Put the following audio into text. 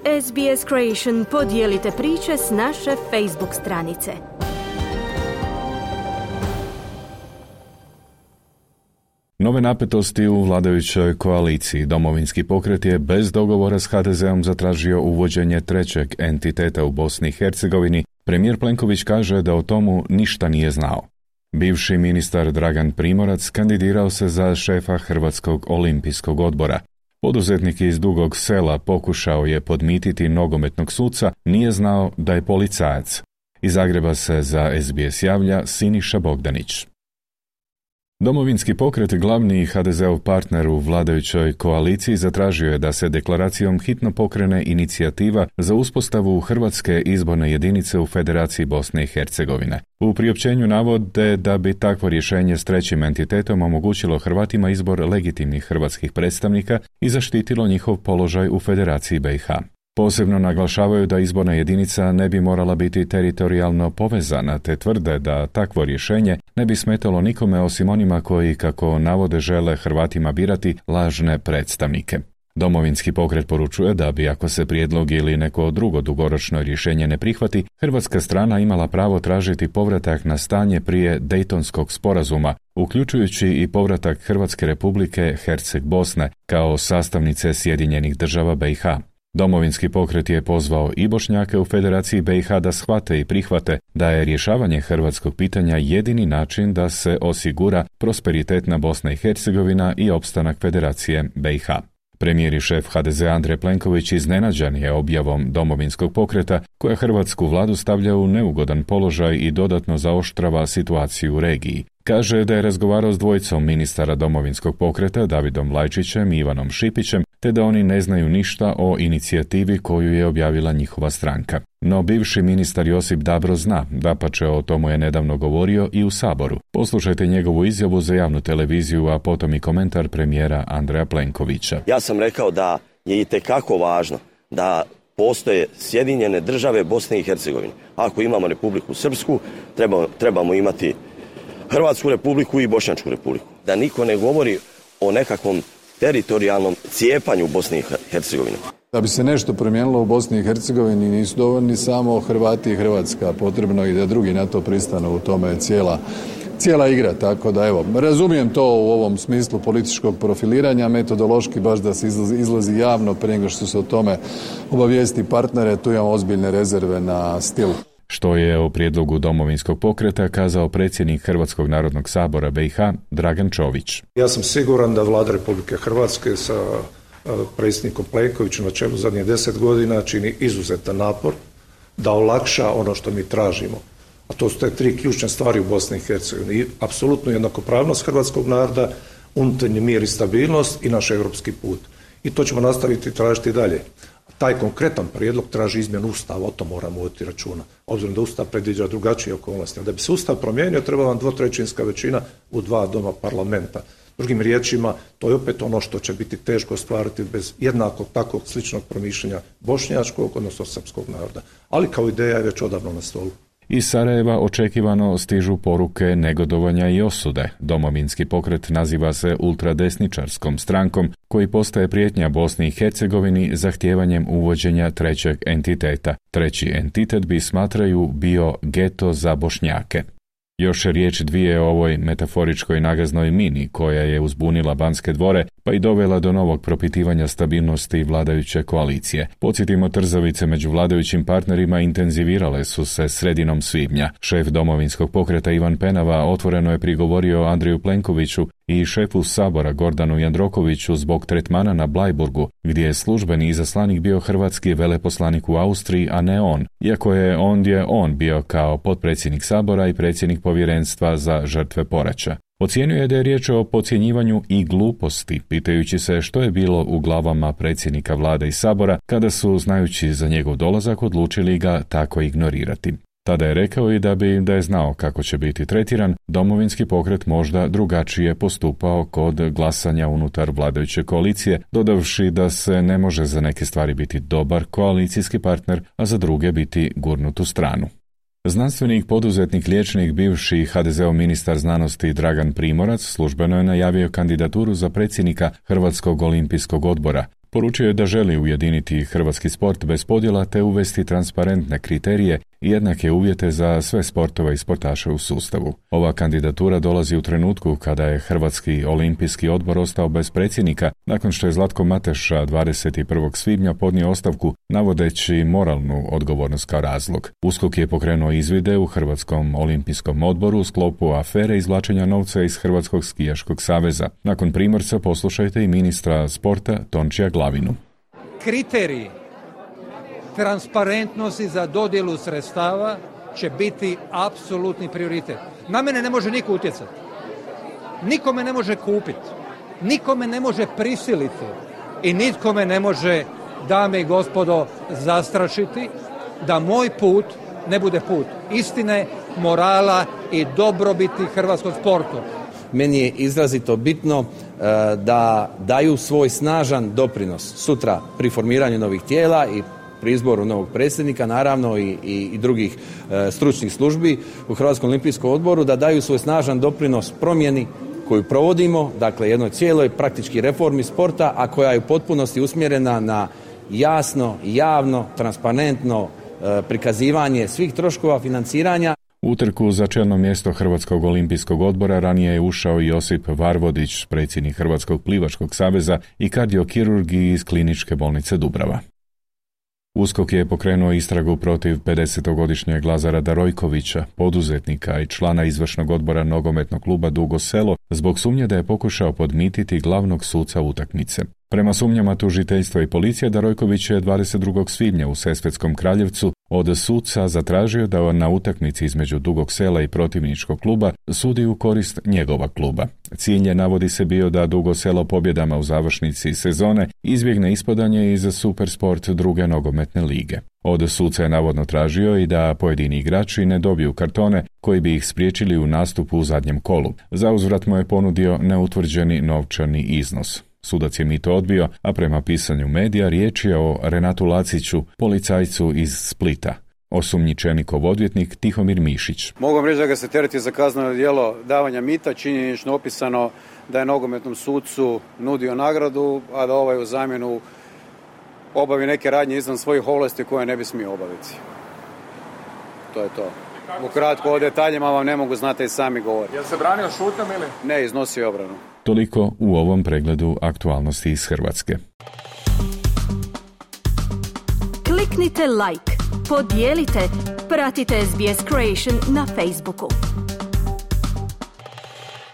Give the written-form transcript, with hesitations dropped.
SBS Creation podijelite priče s naše Facebook stranice. Nove napetosti u vladajućoj koaliciji. Domovinski pokret je bez dogovora s HDZ-om zatražio uvođenje trećeg entiteta u Bosni i Hercegovini. Premijer Plenković kaže da o tomu ništa nije znao. Bivši ministar Dragan Primorac kandidirao se za šefa Hrvatskog olimpijskog odbora. Poduzetnik iz Dugog Sela pokušao je podmititi nogometnog suca, nije znao da je policajac. Iz Zagreba se za SBS javlja Siniša Bogdanić. Domovinski pokret, glavni HDZ-ov partner u vladajućoj koaliciji, zatražio je da se deklaracijom hitno pokrene inicijativa za uspostavu Hrvatske izborne jedinice u Federaciji Bosne i Hercegovine. U priopćenju navode da bi takvo rješenje s trećim entitetom omogućilo Hrvatima izbor legitimnih hrvatskih predstavnika i zaštitilo njihov položaj u Federaciji BiH. Posebno naglašavaju da izborna jedinica ne bi morala biti teritorijalno povezana, te tvrde da takvo rješenje ne bi smetalo nikome osim onima koji, kako navode, žele Hrvatima birati lažne predstavnike. Domovinski pokret poručuje da bi, ako se prijedlog ili neko drugo dugoročno rješenje ne prihvati, hrvatska strana imala pravo tražiti povratak na stanje prije Dejtonskog sporazuma, uključujući i povratak Hrvatske republike Herceg-Bosne kao sastavnice Sjedinjenih država BiH. Domovinski pokret je pozvao i Bošnjake u Federaciji BiH da shvate i prihvate da je rješavanje hrvatskog pitanja jedini način da se osigura prosperitetna Bosna i Hercegovina i opstanak Federacije BiH. Premijer i šef HDZ Andrej Plenković iznenađen je objavom Domovinskog pokreta koja hrvatsku vladu stavlja u neugodan položaj i dodatno zaoštrava situaciju u regiji. Kaže da je razgovarao s dvojicom ministara Domovinskog pokreta, Davidom Lajčićem i Ivanom Šipićem, te da oni ne znaju ništa o inicijativi koju je objavila njihova stranka. No bivši ministar Josip Dabro zna, dapače o tomu je nedavno govorio i u Saboru. Poslušajte njegovu izjavu za javnu televiziju, a potom i komentar premijera Andreja Plenkovića. Ja sam rekao da je itekako važno da postoje Sjedinjene države Bosne i Hercegovine. Ako imamo Republiku Srpsku, trebamo imati Hrvatsku republiku i Bošnjačku republiku. Da niko ne govori o nekakvom teritorijalnom cijepanju Bosne i Hercegovine. Da bi se nešto promijenilo u Bosni i Hercegovini nisu dovoljni samo Hrvati i Hrvatska, potrebno i da drugi na to pristanu, u tome je cijela igra, tako da evo, razumijem to u ovom smislu političkog profiliranja, metodološki baš da se izlazi javno prije nego što se o tome obavijesti partnere, tu imamo ozbiljne rezerve na stil. Što je o prijedlogu Domovinskog pokreta kazao predsjednik Hrvatskog narodnog sabora BiH Dragan Čović. Ja sam siguran da Vlada Republike Hrvatske sa predsjednikom Plenkovićem na čelu zadnjih 10 godina čini izuzetan napor da olakša ono što mi tražimo. A to su te tri ključne stvari u Bosni i Hercegovini. Apsolutno jednakopravnost hrvatskog naroda, unutarnji mir i stabilnost i naš europski put. I to ćemo nastaviti tražiti dalje. Taj konkretan prijedlog traži izmjenu Ustava, o tom moramo voditi računa. Obzirom da Ustav predviđa drugačije okolnosti. Da bi se Ustav promijenio, treba vam 2/3 većina u 2 doma parlamenta. Drugim riječima, to je opet ono što će biti teško ostvariti bez jednakog takvog sličnog promišljanja bošnjačkog, odnosno srpskog naroda. Ali kao ideja je već odavno na stolu. Iz Sarajeva očekivano stižu poruke negodovanja i osude. Domovinski pokret naziva se ultradesničarskom strankom koji postaje prijetnja Bosni i Hercegovini zahtijevanjem uvođenja trećeg entiteta. Treći entitet bi, smatraju, bio geto za Bošnjake. Još riječ dvije o ovoj metaforičkoj nagaznoj mini koja je uzbunila Banske dvore pa i dovela do novog propitivanja stabilnosti vladajuće koalicije. Podsjetimo, trzavice među vladajućim partnerima intenzivirale su se sredinom svibnja. Šef Domovinskog pokreta Ivan Penava otvoreno je prigovorio Andreju Plenkoviću i šefu Sabora Gordanu Jandrokoviću zbog tretmana na Blajburgu, gdje je službeni izaslanik bio hrvatski veleposlanik u Austriji, a ne on, iako je ondje on bio kao potpredsjednik Sabora i predsjednik povjerenstva za žrtve poraća. Ocijenio je da je riječ o podcjenjivanju i gluposti, pitajući se što je bilo u glavama predsjednika vlade i Sabora kada su, znajući za njegov dolazak, odlučili ga tako ignorirati. Tada je rekao i da je znao kako će biti tretiran, Domovinski pokret možda drugačije postupao kod glasanja unutar vladajuće koalicije, dodavši da se ne može za neke stvari biti dobar koalicijski partner, a za druge biti gurnut u stranu. Znanstvenik, poduzetnik, liječnik, bivši HDZ-ov ministar znanosti Dragan Primorac službeno je najavio kandidaturu za predsjednika Hrvatskog olimpijskog odbora. Poručio je da želi ujediniti hrvatski sport bez podjela te uvesti transparentne kriterije i jednake uvjete za sve sportove i sportaše u sustavu. Ova kandidatura dolazi u trenutku kada je Hrvatski olimpijski odbor ostao bez predsjednika nakon što je Zlatko Mateša 21. svibnja podnio ostavku navodeći moralnu odgovornost kao razlog. USKOK je pokrenuo izvide u Hrvatskom olimpijskom odboru u sklopu afere izvlačenja novca iz Hrvatskog skijaškog saveza. Nakon Primorca poslušajte i ministra sporta Tončija Glavinu. Kriteriji transparentnosti za dodjelu sredstava će biti apsolutni prioritet. Na mene ne može niko utjecati. Niko me ne može kupiti. Niko me ne može prisiliti. I nitko me ne može, dame i gospodo, zastrašiti da moj put ne bude put istine, morala i dobrobiti hrvatskog sportu. Meni je izrazito bitno da daju svoj snažan doprinos sutra pri formiranju novih tijela i pri izboru novog predsjednika, naravno i drugih stručnih službi u Hrvatskom olimpijskom odboru, da daju svoj snažan doprinos promjeni koju provodimo, dakle jednoj cijeloj praktički reformi sporta, a koja je u potpunosti usmjerena na jasno, javno, transparentno prikazivanje svih troškova financiranja. U utrku za čelno mjesto Hrvatskog olimpijskog odbora ranije je ušao Josip Varvodić, predsjednik Hrvatskog plivačkog saveza i kardiokirurg iz Kliničke bolnice Dubrava. USKOK je pokrenuo istragu protiv 50-godišnjeg Lazara Darojkovića, poduzetnika i člana izvršnog odbora nogometnog kluba Dugo Selo, zbog sumnje da je pokušao podmititi glavnog suca utakmice. Prema sumnjama tužiteljstva i policije, Darojković je 22. svibnja u Sesvetskom Kraljevcu od suca zatražio da na utakmici između Dugog Sela i protivničkog kluba sudi u korist njegova kluba. Cilj je, navodi se, bio da Dugo Selo pobjedama u završnici sezone izbjegne ispadanje iz Supersport druge nogometne lige. Od suca je navodno tražio i da pojedini igrači ne dobiju kartone koji bi ih spriječili u nastupu u zadnjem kolu. Za uzvrat mu je ponudio neutvrđeni novčani iznos. Sudac je mito odbio, a prema pisanju medija riječ je o Renatu Laciću, policajcu iz Splita. Osumnjičenikov odvjetnik Tihomir Mišić. Mogu reći da ga se tereti za kazneno djelo davanja mita, činjenično opisano da je nogometnom sucu nudio nagradu, a da ovaj u zamjenu obavi neke radnje izvan svojih ovlasti koje ne bi smio obaviti. To je to. Ukratko, o detaljima vam ne mogu, znate i sami govoriti. Jel se branio šutnjom ili? Ne, iznosio obranu. Toliko u ovom pregledu aktualnosti iz Hrvatske. Kliknite like, podijelite, pratite SBS Creation na Facebooku.